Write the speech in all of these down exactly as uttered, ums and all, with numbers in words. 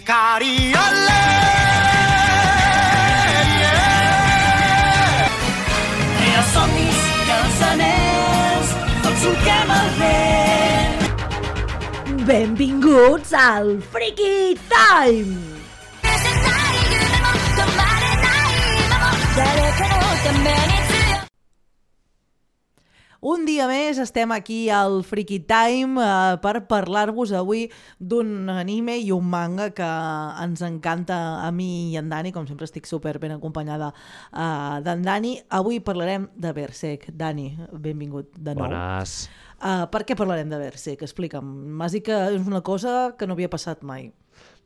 Cariole, yeah. I els somnis i els anells tots solquem el vent. Benvinguts al Freaky Time! Un dia més estem aquí al Freaky Time eh, per parlar-vos avui d'un anime i un manga que ens encanta a mi i en Dani, com sempre estic super ben acompanyada eh, d'en Dani. Avui parlarem de Berserk. Dani, benvingut de nou. Bones. Uh, per què parlarem de Berserk? Explica'm. M'has dit que és una cosa que no havia passat mai.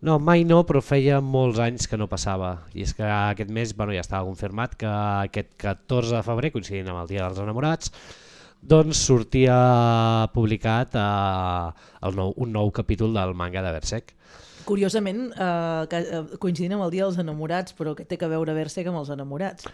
No, mai no, però feia molts anys que no passava. I és que aquest mes bueno, ja estava confirmat que aquest catorze de febrer, coincidint amb el Dia dels Enamorats, doncs sortia publicat eh, el nou, un nou capítol del manga de Berserk. Curiosament, eh, que, eh, coincidint amb el Dia dels Enamorats, però què té que veure Berserk amb els enamorats?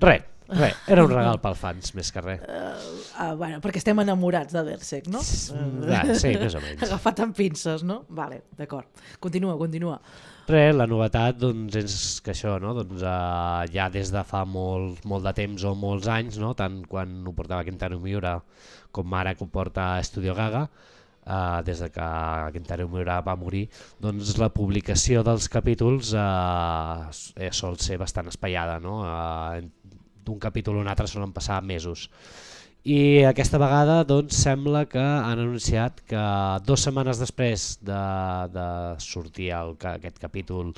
Res, res. Era un regal pels fans, més que res. Uh, uh, bueno, perquè estem enamorats de Berserk, no? Ja, sí, més o menys. Agafat amb pinces, no? Vale, d'acord. Continua, continua. Res, la novetat doncs, és que això, no? doncs, uh, ja des de fa molt, molt de temps o molts anys, no? tant quan ho portava Kentaro Miura com ara que ho porta Studio Gaga, uh, des de que Kentaro Miura va morir, doncs la publicació dels capítols uh, sol ser bastant espaiada, no? Uh, d'un capítol a un altre solen passar mesos. I aquesta vegada doncs, sembla que han anunciat que dues setmanes després de, de sortir el, aquest capítol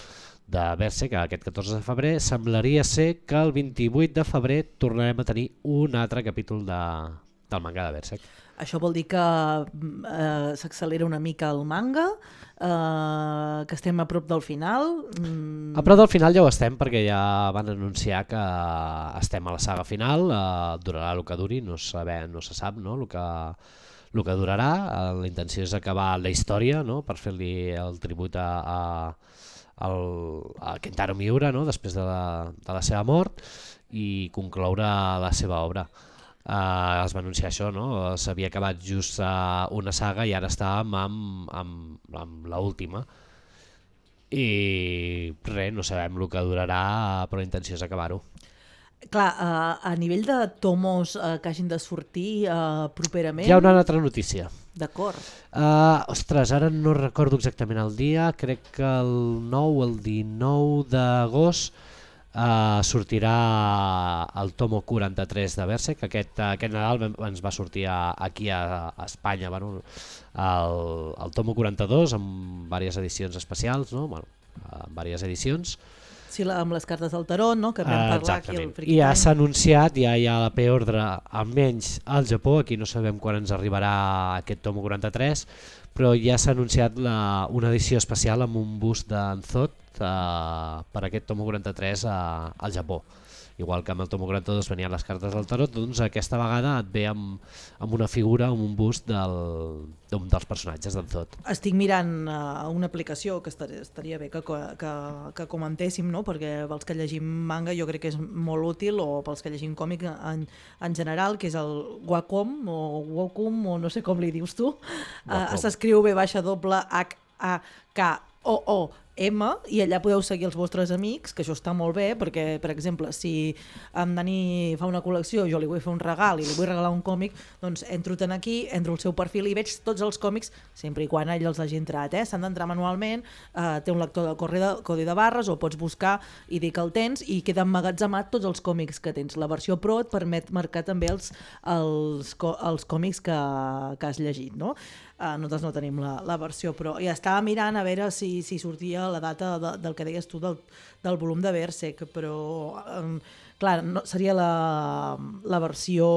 de Berserk, aquest catorze de febrer, semblaria ser que el vint-i-vuit de febrer tornarem a tenir un altre capítol de, del manga de Berserk. Això vol dir que eh, s'accelera una mica el manga, eh, que estem a prop del final. Mm. A prop del final ja ho estem, perquè ja van anunciar que estem a la saga final, eh, durarà el que duri, no, saber, no se sap no? el, que, el que durarà. Eh, la intenció és acabar la història, no? per fer-li el tribut a, a, a Kentaro Miura, no? després de la, de la seva mort, i concloure la seva obra. Uh, es va anunciar això, no? S'havia acabat just uh, una saga i ara estàvem amb, amb, amb l'última i res, no sabem el que durarà, però la intenció és acabar-ho. Clar, uh, a nivell de tomos uh, que hagin de sortir uh, properament... Hi ha una altra notícia. D'acord. Uh, ostres, ara no recordo exactament el dia, crec que el nou o el dinou d'agost Uh, sortirà el tomo quaranta-tres de Berserk. Aquest, aquest Nadal ens va sortir a, aquí a, a Espanya bueno, el, el tomo quaranta-dos amb diverses edicions especials, no? bueno, amb diverses edicions. Sí, la, amb les cartes del tarot, no? que vam uh, parlar aquí al Freaky I ja Time. s'ha anunciat, ja hi ha la preordre almenys al Japó, aquí no sabem quan ens arribarà aquest tomo quaranta-tres, però ja s'ha anunciat la, una edició especial amb un bust d'en Zod Uh, per aquest tomo quaranta-tres uh, al Japó. Igual que amb el tomo quaranta-dos venien les cartes del tarot, doncs aquesta vegada et ve amb, amb una figura, amb un bust del, d'un dels personatges d'en Zod. Estic mirant uh, una aplicació que estaria, estaria bé que, que, que comentéssim, no? perquè pels que llegim manga jo crec que és molt útil, o pels que llegim còmic en, en general, que és el Wacom o Wacom, o no sé com li dius tu. Uh, S'escriu B baixa doble H A K O O M, i allà podeu seguir els vostres amics, que això està molt bé, perquè, per exemple, si en Dani fa una col·lecció, jo li vull fer un regal i li vull regalar un còmic, doncs entro tant aquí, entro al seu perfil i veig tots els còmics, sempre i quan ell els hagi entrat, eh? S'han d'entrar manualment, eh, té un lector de codi de barres, o pots buscar i dir que el tens, i queda emmagatzemat tots els còmics que tens. La versió Pro et permet marcar també els, els, els còmics que, que has llegit, no? Uh, nosaltres no tenim la, la versió Pro. I estava mirant a veure si, si sortia la data de, del que deies tu del, del volum de Berserk, però um, clar, no, seria la, la versió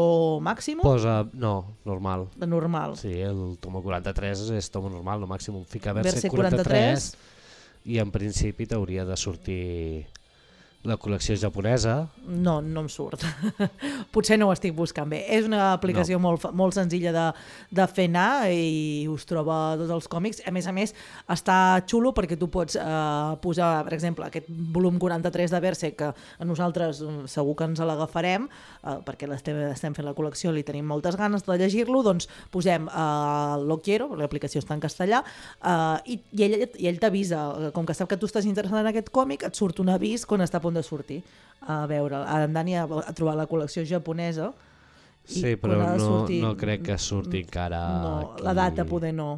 màxima? Posa, no, normal. De normal. Sí, el tomo quaranta-tres és tomo normal, no màxim. Fica Berserk quaranta-tres quaranta-tres i en principi t'hauria de sortir La col·lecció japonesa... No, no em surt. Potser no ho estic buscant bé. És una aplicació no. molt, molt senzilla de, de fer anar i us troba tots els còmics. A més a més, està xulo perquè tu pots eh, posar, per exemple, aquest volum quaranta-tres de Berserk, que a nosaltres segur que ens l'agafarem, eh, perquè l'estem, estem fent la col·lecció, li tenim moltes ganes de llegir-lo, doncs posem eh, Lo Quiero, l'aplicació està en castellà, eh, i, i ell, i ell t'avisa, com que sap que tu estàs interessat en aquest còmic, et surt un avís quan està a punt de sortir a veure. En Dani ha, ha trobat la col·lecció japonesa i sí, però no, sortir, no crec que surti encara no, aquí. La data poder no.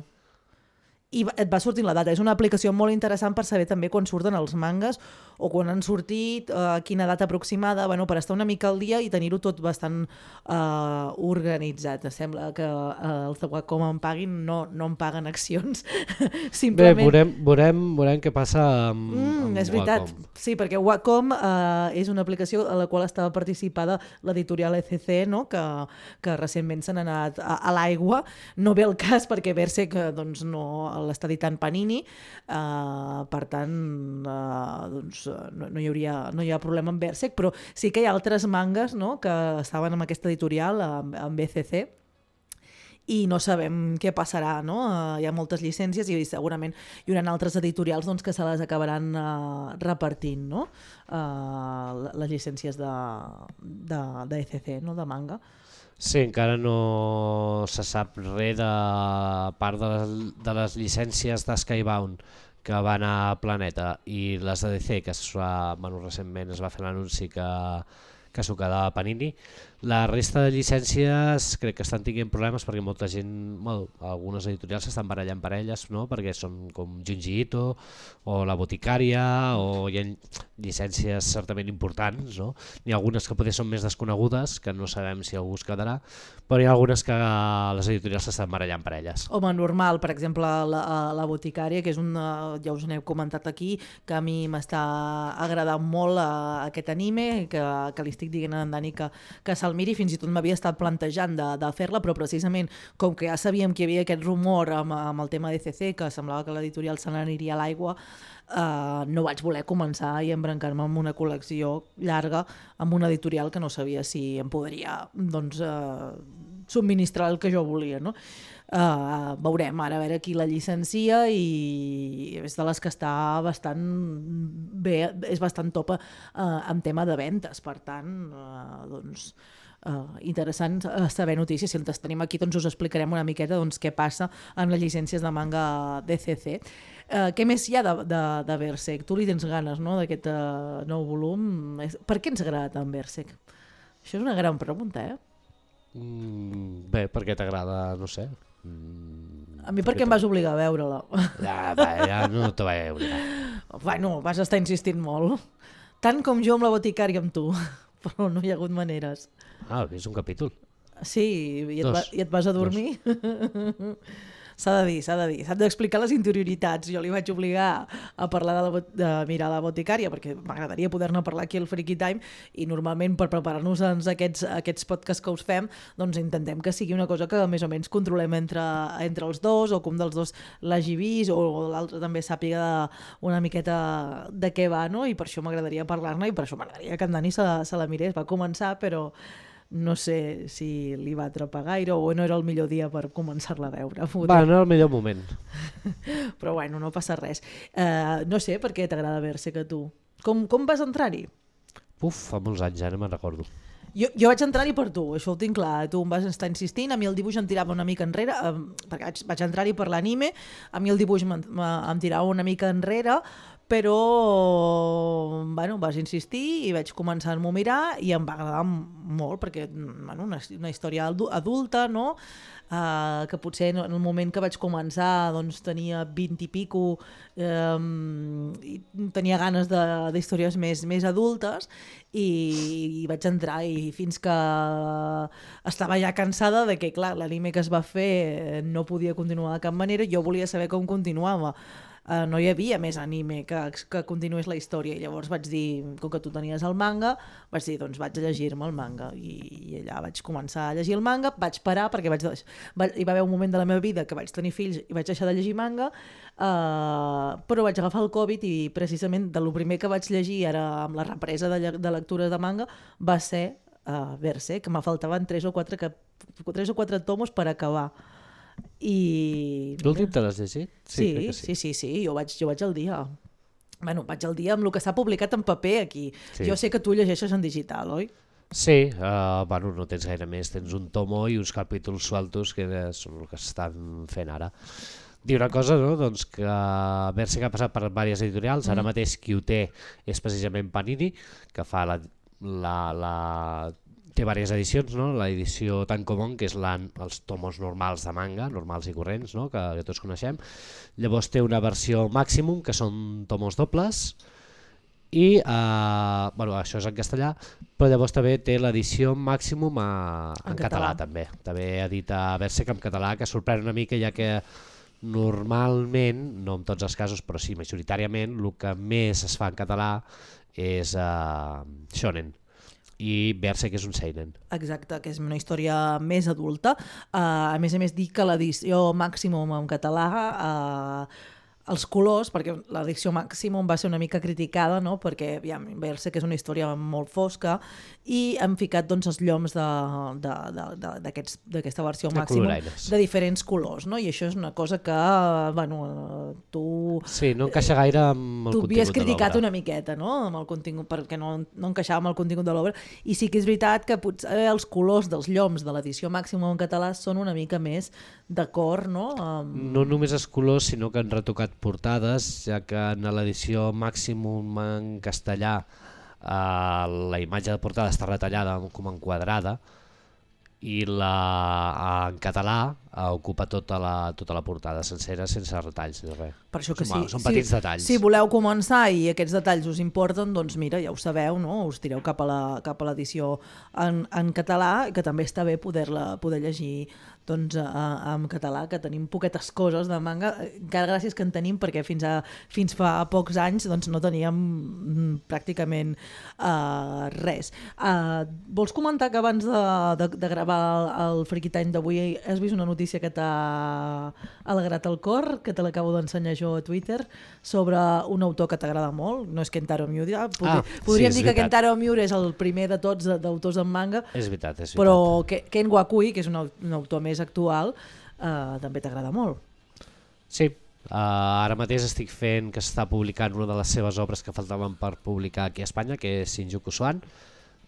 I et va sortint la data. És una aplicació molt interessant per saber també quan surten els mangas o quan han sortit, a eh, quina data aproximada, bueno, per estar una mica al dia i tenir-ho tot bastant eh, organitzat. Sembla que eh, els de Wacom em paguin, no, no em paguen accions. Simplement... Bé, veurem, veurem, veurem què passa amb, mm, amb és veritat. Wacom. Sí, perquè Wacom eh, és una aplicació a la qual estava participada l'editorial E C C, no? que, que recentment s'han anat a, a l'aigua. No ve el cas perquè Berserk doncs, no l'està editant Panini, eh, per tant eh, doncs, no, no, hi hauria, no hi ha problema amb Berserk, però sí que hi ha altres mangas, no?, que estaven amb aquesta editorial, amb, amb E C C, i no sabem què passarà, no? Uh, hi ha moltes llicències i segurament hi haurà altres editorials doncs, que se les acabaran uh, repartint, no? Uh, les llicències de, de, de E C C, no? De manga. Sí, encara no se sap res de part de les, de les llicències de Skybound que van a Planeta i les de D C, que es va, bueno, recentment es va fer l'anunci que, que s'ho quedava Panini. La resta de llicències crec que estan tinguent problemes perquè molta gent, bueno, algunes editorials s'estan barallant per elles, no? Perquè són com Junji Ito o La Boticària, o hi ha llicències certament importants, no? N'hi ha algunes que potser són més desconegudes, que no sabem si algú es quedarà, però hi ha algunes que les editorials s'estan barallant per elles. Home, normal, per exemple, la, la Boticària, que és una, ja us n'heu comentat aquí, que a mi m'està agradant molt uh, aquest anime, que, que li estic dient a en Dani que, que se'l miri, fins i tot m'havia estat plantejant de, de fer-la, però precisament com que ja sabíem que hi havia aquest rumor amb, amb el tema de C C, que semblava que l'editorial se n'aniria a l'aigua, uh, no vaig voler començar i embrancar-me amb una col·lecció llarga amb una editorial que no sabia si em podria doncs, uh, subministrar el que jo volia, no? Uh, veurem ara a veure qui la llicencia i és de les que està bastant bé, és bastant top uh, en tema de ventes, per tant uh, doncs Uh, interessant uh, saber notícies. Si les tenim aquí doncs us explicarem una miqueta doncs, què passa amb les llicències de manga D C C. Uh, què més hi ha de, de, de Berserk? Tu li tens ganes, no?, d'aquest uh, nou volum. Per què ens agrada tant Berserk? Això és una gran pregunta, eh? Mm, bé, perquè t'agrada, no sé. Mm, a mi perquè em vas obligar a veure-la. Ja, va, ja no te vaig obligar. Bueno, vas estar insistint molt. Tant com jo amb La Boticària amb tu. Però no hi ha hagut maneres. Ah, és un capítol. Sí, i et, va, i et vas a dormir. S'ha de dir, s'ha de dir. S'ha d'explicar les interioritats. Jo li vaig obligar a parlar de, la, de mirar La Boticària perquè m'agradaria poder-ne parlar aquí al Freaky Time i normalment per preparar-nos aquests, aquests podcasts que us fem doncs intentem que sigui una cosa que més o menys controlem entre, entre els dos o que un dels dos l'hagi vist o l'altre també sàpiga de, una miqueta de què va, no? I per això m'agradaria parlar-ne i per això m'agradaria que en Dani se, se la mirés. Va començar però no sé si li va atrapar gaire o no era el millor dia per començar-la a veure. Va, no era el millor moment. Però bueno, no passa res. Uh, no sé per què t'agrada Berserk a tu. Com, com vas entrar-hi? Uf, fa molts anys, ja no me'n recordo. Jo, jo vaig entrar-hi per tu, això ho tinc clar. Tu em vas estar insistint, a mi el dibuix em tirava una mica enrere, eh, perquè vaig, vaig entrar-hi per l'anime, a mi el dibuix em, em tirava una mica enrere, però bueno, vas insistir i vaig començar a mirar i em va agradar molt perquè bueno, una, una història adulta, no? Uh, que potser en el moment que vaig començar doncs, tenia vint i pico um, i tenia ganes d'històries més, més adultes i, i vaig entrar i fins que estava ja cansada de que clar, l'anime que es va fer no podia continuar de cap manera, jo volia saber com continuava. uh, no hi havia més anime que, que continués la història, i llavors vaig dir, com que tu tenies el manga, vaig dir, doncs vaig a llegir-me el manga, i, i allà vaig començar a llegir el manga, vaig parar perquè vaig, va, hi va haver un moment de la meva vida que vaig tenir fills i vaig deixar de llegir manga, uh, però vaig agafar el Covid i precisament de lo primer que vaig llegir ara amb la represa de, de lectura de manga va ser uh, Berserk, que me faltaven tres o quatre, que, tres o quatre tomos per acabar. I... L'últim te l'has llegit? Sí, sí, sí, sí, sí, jo vaig, jo vaig al dia. Bueno, vaig al dia amb el que s'ha publicat en paper aquí. Sí. Jo sé que tu llegeixes en digital, oi? Sí, uh, bueno, no tens gaire més, tens un tomo i uns capítols sueltos que són el que s'estan fent ara. Dir una cosa, no? Doncs que Berserk ha passat per diverses editorials, mm. ara mateix qui ho té és precisament Panini, que fa la... la, la té diverses edicions, no? L'edició Tankobon, que és la, els tomos normals de manga, normals i corrents, no? que, que tots coneixem. Llavors té una versió Maximum, que són tomos dobles, i eh, bueno, això és en castellà, però llavors també té l'edició Maximum a, en, en català, català també. També edita Berserk en català, que sorprèn una mica, ja que normalment, no en tots els casos, però sí, majoritàriament, el que més es fa en català és uh, shonen. I Berserk és un seinen. Exacte, que és una història més adulta. Uh, a més a més, dic que l'edició Maximum en català, uh, els colors, perquè l'edició Maximum va ser una mica criticada, no? Perquè ja, Berserk és una història molt fosca, i han ficat doncs, els lloms d'aquesta versió Maximum de diferents colors, no? I això és una cosa que, bueno, tu... Sí, no encaixa gaire amb el contingut de l'obra. Tu havies criticat una miqueta, no? Amb el contingut, perquè no, no encaixava amb el contingut de l'obra, i sí que és veritat que potser els colors dels lloms de l'edició Maximum en català són una mica més d'acord, no? Um... No només els colors, sinó que han retocat portades, ja que en l'edició Maximum en castellà Uh, la imatge de portada està retallada com enquadrada, i la, uh, en català uh, ocupa tota la, tota la portada sencera sense retalls ni res. Per això que són, sí, són petits si, detalls. Si voleu començar i aquests detalls us importen, doncs mira, ja ho sabeu, no? Us tireu cap a l'edició en, en català, que també està bé poder-la poder llegir doncs, a, en català, que tenim poquetes coses de manga, encara gràcies que en tenim, perquè fins, a, fins fa pocs anys doncs, no teníem pràcticament uh, res. Uh, vols comentar que abans de, de, de gravar el, el Friki Time d'avui has vist una notícia que t'ha alegrat el cor, que te l'acabo d'ensenyar jo a Twitter, sobre un autor que t'agrada molt, no és Kentaro Miura, Podri, ah, podríem sí, dir que veritat. Kentaro Miura és el primer de tots d'autors en manga, és veritat, és veritat. Però Ken Wakui, que és un, un autor més actual, eh, també t'agrada molt. Sí, uh, ara mateix estic fent que s'està publicant una de les seves obres que faltaven per publicar aquí a Espanya, que és Shinjuku Swan,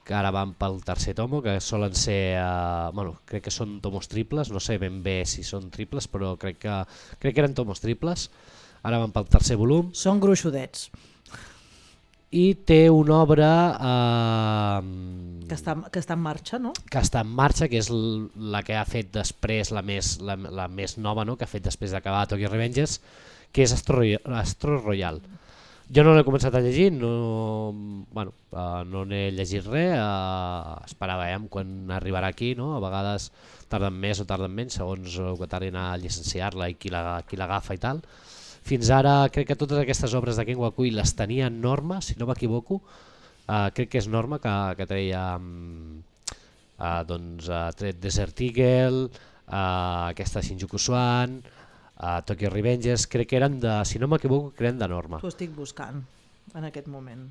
que ara van pel tercer tomo, que solen ser, uh, bueno, crec que són tomos triples, no sé ben bé si són triples, però crec que, crec que eren tomos triples, ara van pel tercer volum. Són gruixudets. I té una obra eh, que, està, que està en marxa, no? Que està en marxa, que és la que ha fet després, la més, la, la més nova, no? Que ha fet després d'acabar Tokyo Revengers, que és Astro, Astro Royal. Jo no l'he començat a llegir, no, bueno, uh, no n'he llegit res, uh, esperàvem quan arribarà aquí, no? A vegades tarden més o tarden menys, segons el que tardin a llicenciar-la i qui l'agafa i tal. Fins ara crec que totes aquestes obres de Ken Wakui les tenia Norma, si no m'equivoco, uh, crec que és Norma que, que treia um, uh, doncs, uh, tret Desert Eagle, uh, aquesta Shinjuku Swan, uh, Tokyo Revengers, crec que eren de, si no m'equivoco, que eren de Norma. T'ho estic buscant en aquest moment.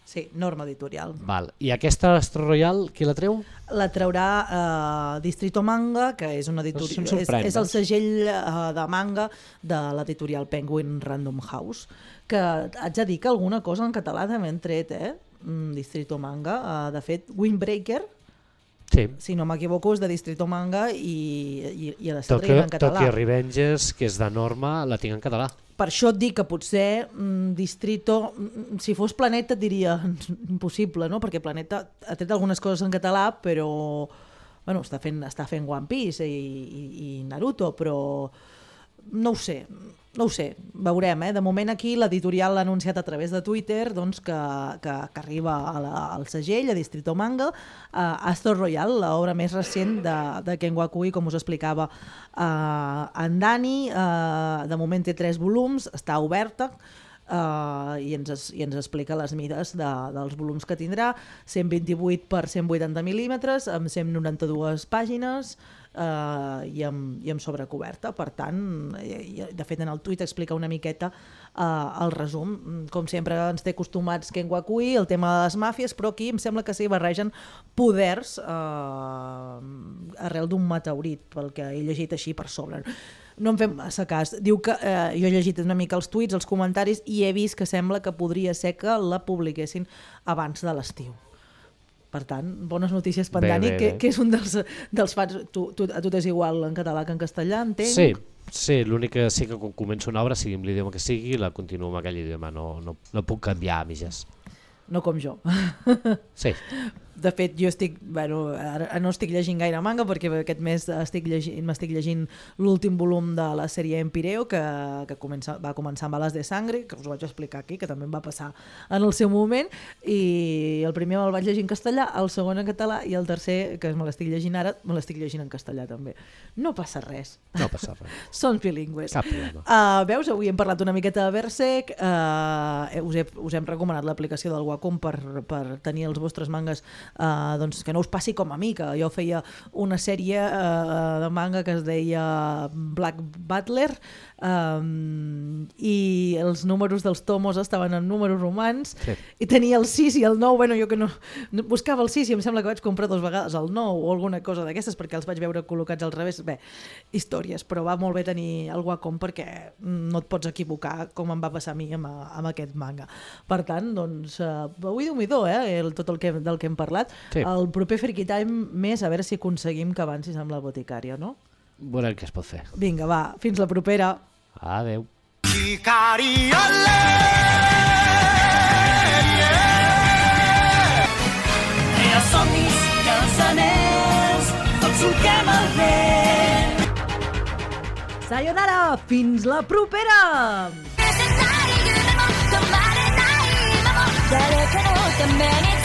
Sí, Norma Editorial. Val. I aquesta Astro Royal, qui la treu? La traurà uh, Distrito Manga, que és, una editorial, és, és el segell uh, de manga de l'editorial Penguin Random House, que haig de dir que alguna cosa en català també han tret, eh? Mm, Distrito Manga. Uh, de fet, Windbreaker, sí. Si no m'equivoco, és de Distrito Manga i, i, i l'està traient en català. Tokyo Revengers, que és de Norma, la tinc en català. Per això et dic que potser mm, Distrito, mm, si fos Planeta et diria impossible, no? Perquè Planeta ha tret algunes coses en català, però bueno, està fent, està fent One Piece i, i, i Naruto, però no ho sé. no ho sé, veurem. Eh? De moment aquí l'editorial l'ha anunciat a través de Twitter doncs, que, que, que arriba a la, al segell, a Distrito Manga, a Astor Royal, l'obra més recent de, de Ken Wakui, com us explicava uh, en Dani. Uh, de moment té tres volums, està oberta, Uh, i, ens, i ens explica les mides de, dels volums que tindrà, cent vint-i-vuit per cent vuitanta mil·límetres, amb cent noranta-dues pàgines uh, i, amb, i amb sobrecoberta. Per tant, i, de fet en el tuit explica una miqueta uh, el resum. Com sempre ens té acostumats Ken Wakui, el tema de les màfies, però aquí em sembla que s'hi barregen poders uh, arrel d'un meteorit, pel que he llegit així per sobre. No em fem massa cas. Diu que, eh, jo he llegit una mica els tuits, els comentaris, i he vist que sembla que podria ser que la publiquessin abans de l'estiu. Per tant, bones notícies per Dani, que, que és un dels, dels fans. Tu, tu, a tu t'és igual en català que en castellà, entenc? Sí, sí, l'únic que sí que quan començo una obra, sigui amb l'idioma que sigui, la continuo amb aquell idioma, no, no, no puc canviar a mitges. No com jo. Sí. De fet, jo estic, bueno, ara no estic llegint gaire manga perquè aquest mes estic llegint, m'estic llegint l'últim volum de la sèrie Empireo que, que comença, va començar amb Alas de Sangre, que us ho vaig explicar aquí, que també em va passar en el seu moment, i el primer me'l vaig llegir en castellà, el segon en català i el tercer, que me l'estic llegint ara, me l'estic llegint en castellà també. No passa res. No passa res. Són bilingües. Cap problema. Uh, veus, avui hem parlat una miqueta de Berserk, uh, us, he, us hem recomanat l'aplicació del Wacom per, per tenir els vostres mangas. Uh, doncs que no us passi com a mi, que jo feia una sèrie uh, de manga que es deia Black Butler, um, i els números dels tomos estaven en números romans, sí. I tenia el sis i el nou, bueno, jo que no, no buscava el sis i em sembla que vaig comprar dues vegades el nou o alguna cosa d'aquestes perquè els vaig veure col·locats al revés. Bé, històries, però va molt bé tenir el Wacom perquè no et pots equivocar com em va passar a mi amb, amb aquest manga. Per tant, doncs, uh, avui Déu-n'hi-do, eh, el, tot el que, del que hem parlat. Sí. El proper Freaky Time més, a veure si aconseguim que avancis amb la boticària, no? Veurem què es pot fer. Vinga, va, fins la propera. Adeu. Era somnis i els anells, tots solquem el vent. Sayonara, fins la propera! 誰かのために